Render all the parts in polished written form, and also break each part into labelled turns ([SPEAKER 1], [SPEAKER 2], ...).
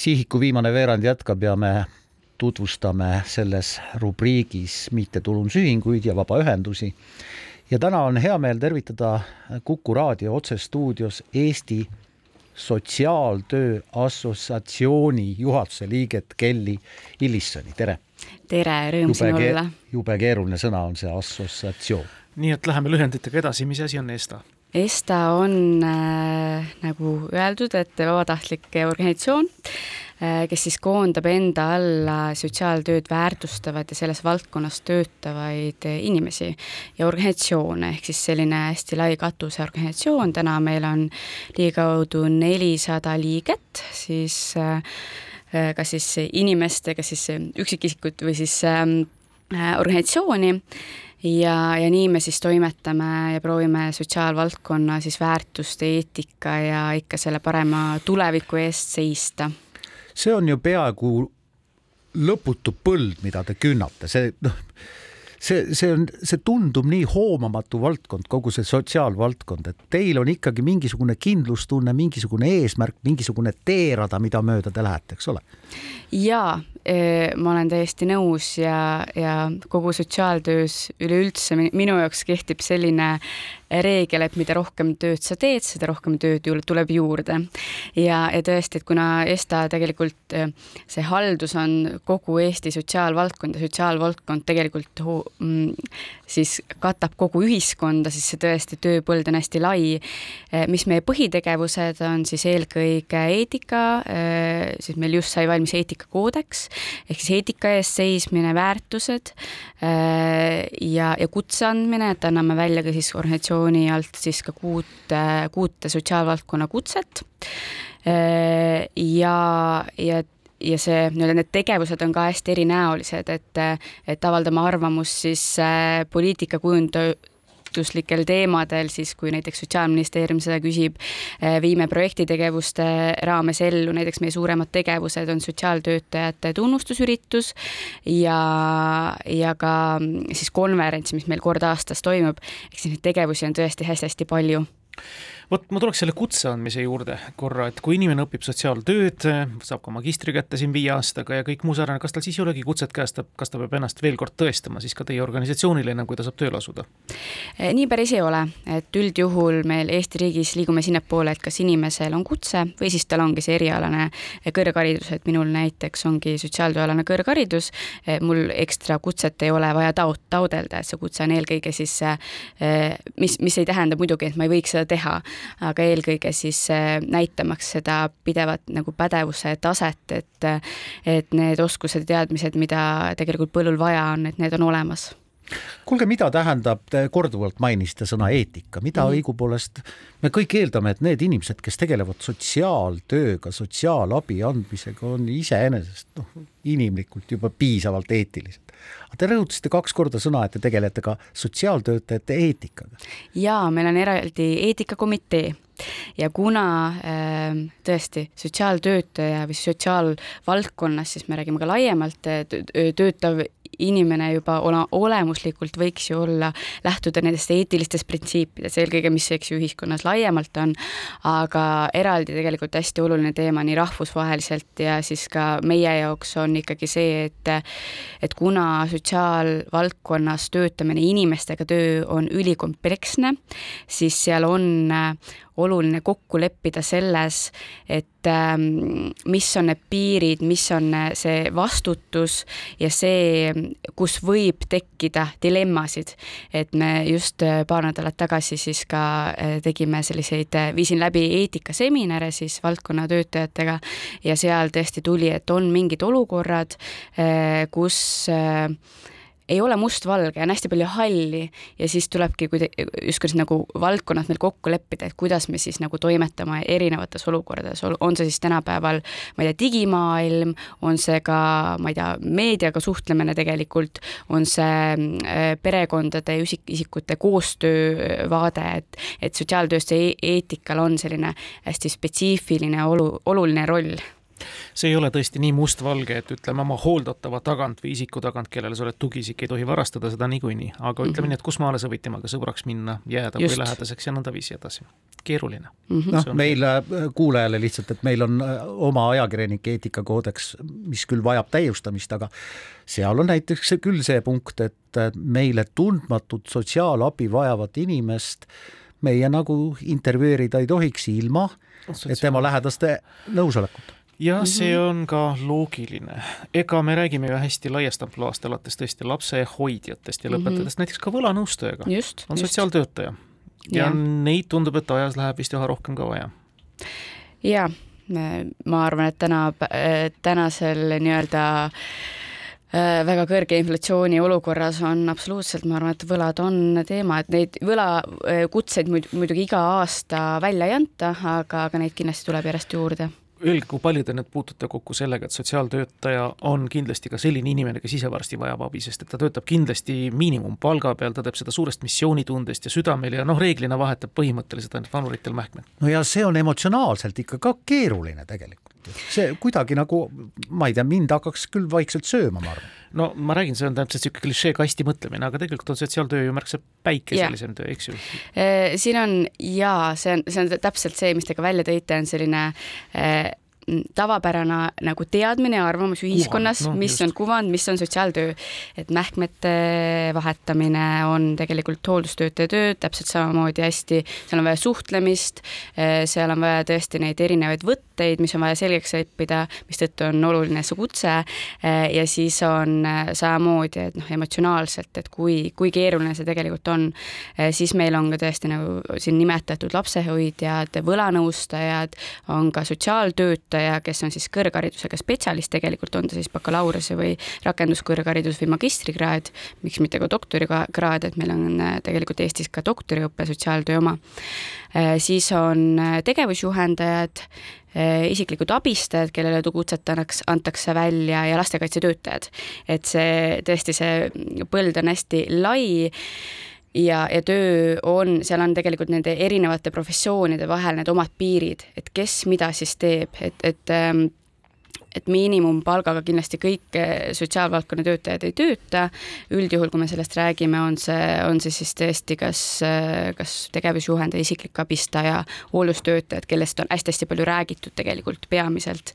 [SPEAKER 1] Sihiku viimane veerand jätkab ja me tutvustame selles rubriigis mittetulundusühinguid ja vabaühendusi. Ja täna on hea meel tervitada Kuku raadio otsestuudios Eesti Sotsiaaltöö Assotsiatsiooni juhatuse liiget Kelly Illissoni. Tere!
[SPEAKER 2] Tere, rõõm siin olla.
[SPEAKER 1] Jube keeruline sõna on see assotsiatsioon.
[SPEAKER 3] Nii et läheme lühenditega edasi, mis asi on ESTA?
[SPEAKER 2] ESTA on nagu öeldud, et vabatahtlik organisatsioon, kes siis koondab enda alla sotsiaaltööd väärtustavad ja selles valdkonnas töötavaid inimesi ja organisatsioone, ehk siis selline hästi lai katuseorganisatsioon. Täna meil on ligikaudu 400 liiget, siis kas siis inimeste, kas siis üksikisikut või siis organisatsiooni. Ja nii me siis toimetame ja proovime sotsiaalvaldkonna siis väärtuste, eetika ja ikka selle parema tuleviku eest seista.
[SPEAKER 1] See on ju peaaegu lõputu põld, mida te künnate. See tundub nii hoomamatu valdkond, kogu see sotsiaalvaldkond, et teil on ikkagi mingisugune kindlustunne, mingisugune eesmärk, mingisugune teerada, mida mööda te lähete, eks ole?
[SPEAKER 2] Jaa, ma olen täiesti nõus ja kogu sotsiaaltöös üleüldse minu jaoks kehtib selline reegel, et mida rohkem tööd sa teed, seda rohkem tööd tuleb juurde. Ja tõesti, et kuna ESTA tegelikult see haldus on kogu Eesti sotsiaalvaldkond ja sotsiaalvaldkond tegelikult siis katab kogu ühiskonda, siis see tõesti tööpõld on hästi lai. Mis meie põhitegevused on siis eelkõige eetika, siis meil just sai valmis eetikakoodeks, ehk siis eetika ees seismine, väärtused ja kutse andmine, et anname välja ka siis organisatsiooni alt siis ka kuute sotsiaalvaldkonna kutset ja see, need tegevused on ka hästi erinäolised, et avaldame arvamust siis poliitikakujunduslikel teemadel, siis kui näiteks Sotsiaalministeerium seda küsib, viime projektitegevuste raames ellu, näiteks meie suuremad tegevused on sotsiaaltöötajate tunnustusüritus ja ka siis konverents, mis meil kord aastas toimub, eks neid tegevusi on tõesti hästi palju.
[SPEAKER 3] Vot ma tuleks selle kutse andmise juurde korra, et kui inimene õpib sotsiaaltööd, saab ka magistri kätte siin 5 aastaga ja kõik muu sarnane, kas tal siis ei olegi kutset käest, kas ta peab ennast veel kord tõestama siis ka teie organisatsioonile, enam kui ta saab tööle asuda?
[SPEAKER 2] Nii päris ei ole, et üldjuhul meil Eesti riigis liigume sinna poole, et kas inimesel on kutse või siis tal ongi see erialane kõrgharidus, et minul näiteks ongi sotsiaaltööalane kõrgharidus, mul ekstra kutset ei ole vaja taodelda, et see kutse on eelkõige siis, mis ei tähenda muidugi, et ma ei võiks seda teha, aga eelkõige siis näitamaks seda pidevat nagu pädevuse taset, et need oskused ja teadmised, mida tegelikult põllul vaja on, et need on olemas.
[SPEAKER 1] Kuulge, mida tähendab, korduvalt mainiste sõna eetika, mida õigupoolest me kõik eeldame, et need inimesed, kes tegelevad sotsiaaltööga, sotsiaalabi andmisega, on iseenesest inimlikult juba piisavalt eetilised. Te rõhutasite 2 korda sõna, et te tegelete ka sotsiaaltöötajate eetikaga.
[SPEAKER 2] Jaa, meil on eraldi eetikakomitee ja kuna tõesti sotsiaaltöötaja või sotsiaalvaldkonnas, siis me räägime ka laiemalt, töötav inimene juba olemuslikult võiks ju olla, lähtuda nendest eetilistest printsiipidest, eelkõige mis ühiskonnas laiemalt on, aga eraldi tegelikult hästi oluline teema nii rahvusvaheliselt ja siis ka meie jaoks on ikkagi see, et kuna sotsiaalvaldkonnas töötamine inimestega töö on ülikompleksne, siis seal on oluline kokku leppida selles, et mis on need piirid, mis on see vastutus ja see, kus võib tekkida dilemmasid. Et me just paar nädalat tagasi siis ka tegime selliseid, viisin läbi eetikaseminare siis valdkonna töötajatega ja seal tõesti tuli, et on mingid olukorrad, kus ei ole mustvalge, on hästi palju halli ja siis tulebki just nagu valdkonnad meil kokku leppida, et kuidas me siis nagu toimetame erinevates olukordades. On see siis tänapäeval, ma ei tea, digimaailm, on see ka, ma ei tea, meediaga suhtlemine tegelikult, on see perekondade ja isikute koostöövaade, et sotsiaaltöösse eetikal on selline hästi spetsiifiline oluline roll.
[SPEAKER 3] see ei ole tõesti nii mustvalge, et ütleme oma hooldatava tagant või isiku tagant, kellele sa oled tugiisik, ei tohi varastada seda niikuinii, aga ütleme nii, et kus maale sa võid temaga sõbraks minna, jääda või lähedaseks ja nõnda viisi edasi. Keeruline.
[SPEAKER 1] Meil kuulajale lihtsalt, et meil on oma ajakirjanike eetikakoodeks, mis küll vajab täiustamist, aga seal on näiteks küll see punkt, et meile tundmatut sotsiaalabi vajavat inimest meie nagu intervjueerida ei tohiks ilma, et tema lähedaste nõusolekut.
[SPEAKER 3] Ja see on ka loogiline. Ega me räägime ju hästi laiast ampluaast alates tõesti lapse hoidjatest ja lõpetades näiteks ka võlanõustajaga. On sotsiaaltöötaja. Ja neid tundub, et ajas läheb vist üha rohkem ka vaja.
[SPEAKER 2] Ja, ma arvan, et tänasel nii-öelda väga kõrge inflatsiooni olukorras on absoluutselt, ma arvan, et võlad on teema, et neid võlakutseid muidugi iga aasta välja ei anta, aga neid kindlasti tuleb järjest juurde.
[SPEAKER 3] Öelge, kui palju te nüüd puutute kokku sellega, et sotsiaaltöötaja on kindlasti ka selline inimene, kes ise varsti vajab abi, sest et ta töötab kindlasti miinimumpalga peal, ta teeb seda suurest missioonitundest ja südamel ja reeglina vahetab põhimõtteliselt ainult vanuritel mähkmed.
[SPEAKER 1] No ja see on emotsionaalselt ikka ka keeruline tegelikult. See kuidagi nagu, ma ei tea, mind hakkaks küll vaikselt sööma, ma arvan.
[SPEAKER 3] No ma räägin, see on täpselt siuke klišee kasti mõtlemine, aga tegelikult on sotsiaaltöö ju märksa päikeselisem töö, eks ju?
[SPEAKER 2] Siin on, see on täpselt see, mis te ka välja tõite, on selline tavapärane nagu teadmine ja arvamus ühiskonnas, mis on kuvand, mis on sotsiaaltöö, et mähkmete vahetamine on tegelikult hooldustöötaja töö, täpselt samamoodi hästi, seal on vaja suhtlemist, seal on vaja tõesti neid erinevaid võtteid, mis on vaja selgeks õppida, mis tõttu on oluline see kutse ja siis on samamoodi, et emotsionaalselt, et kui keeruline see tegelikult on, siis meil on ka tõesti nagu siin nimetatud lapsehoidjad, võlanõustajad, on ka sotsiaaltöötajad, kes on siis kõrgharidusega spetsialist, tegelikult on ta siis bakalaureuse või rakenduskõrgharidus või magistrikraad, miks mitte ka doktorikraad, et meil on tegelikult Eestis ka doktoriõppe sotsiaaltöö oma. Siis on tegevusjuhendajad, isiklikud abistajad, kellele kutset antakse välja ja lastekaitsetöötajad. Et see tõesti see põld on hästi lai ja töö on, seal on tegelikult nende erinevate professioonide vahel need omad piirid, et kes mida siis teeb, et miinimumpalgaga kindlasti kõik sotsiaalvaldkonna töötajad ei tööta. Üldjuhul, kui me sellest räägime, on see siis tõesti kas tegevusjuhendaja, isiklik abistaja, hooldustöötajad, kellest on hästi palju räägitud tegelikult peamiselt.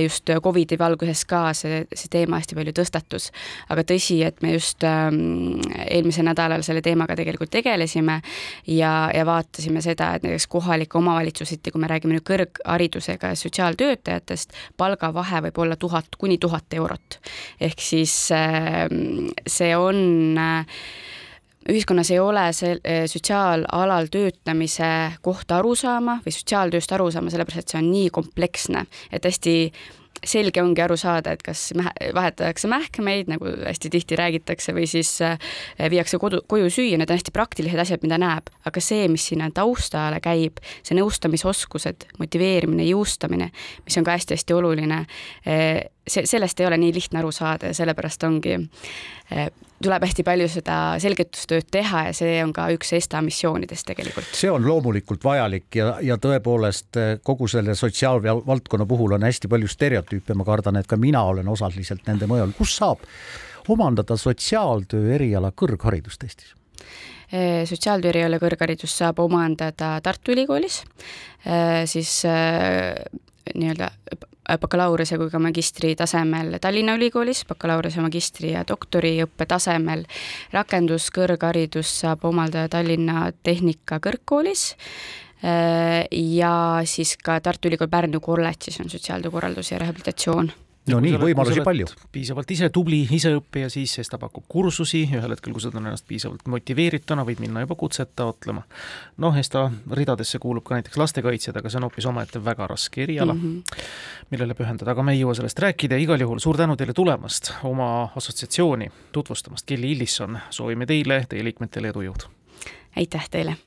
[SPEAKER 2] Just COVID-i valguses ka see teema hästi palju tõstatus. Aga tõsi, et me just eelmise nädalal selle teemaga tegelikult tegelesime ja vaatasime seda, et näiteks kohalike omavalitsusiti, kui me räägime nüüd kõrgharidusega sotsiaaltöötajatest, palga vahe võib olla 1000 kuni 1000 eurot. Ehk siis see on, ühiskonnas ei ole sotsiaalalal töötamise kohta aru saama või sotsiaaltööst aru saama, sellepärast, et see on nii kompleksne, et hästi selge ongi aru saada, et kas vahetatakse mähkmeid, nagu hästi tihti räägitakse, või siis viiakse koju süüa, need on hästi praktilised asjad, mida näeb. Aga see, mis sinna taustale käib, see nõustamisoskused, motiveerimine, jõustamine, mis on ka hästi-hästi oluline, sellest ei ole nii lihtne aru saada ja sellepärast ongi, tuleb hästi palju seda selgitustööd teha ja see on ka üks ESTA missioonidest tegelikult.
[SPEAKER 1] See on loomulikult vajalik ja tõepoolest kogu selle sotsiaalvaldkonna puhul on hästi palju stereotüüpe, ma kardan, et ka mina olen osaliselt nende mõjul. Kus saab omandada sotsiaaltöö eriala kõrgharidust Eestis?
[SPEAKER 2] Sotsiaaltöö eriala kõrgharidust saab omandada Tartu Ülikoolis, siis nii-öelda bakalaureuse kui ka magistri tasemel Tallinna Ülikoolis, bakalaureuse, magistri ja doktoriõppe tasemel. Rakenduskõrgharidus saab omaldada Tallinna Tehnika kõrgkoolis ja siis ka Tartu Ülikool Pärnu kolledžis on sotsiaaltöökorraldus ja rehabilitatsioon.
[SPEAKER 1] No nii, võimalusi palju.
[SPEAKER 3] Piisavalt ise tubli, ise õppija, siis ta pakub kursusi, ühel hetkel, kui sa on ennast piisavalt motiveerituna, võid minna juba kutset taotlema. ESTA ridadesse kuulub ka näiteks lastekaitsjad, aga see on hoopis omaette väga raske eriala, millele pühendada, aga me ei jõua sellest rääkida. Igal juhul suur tänu teile tulemast, oma assotsiatsiooni tutvustamast. Kelly Illisson, soovime teile, teie liikmetele edu jõud.
[SPEAKER 2] Aitäh teile!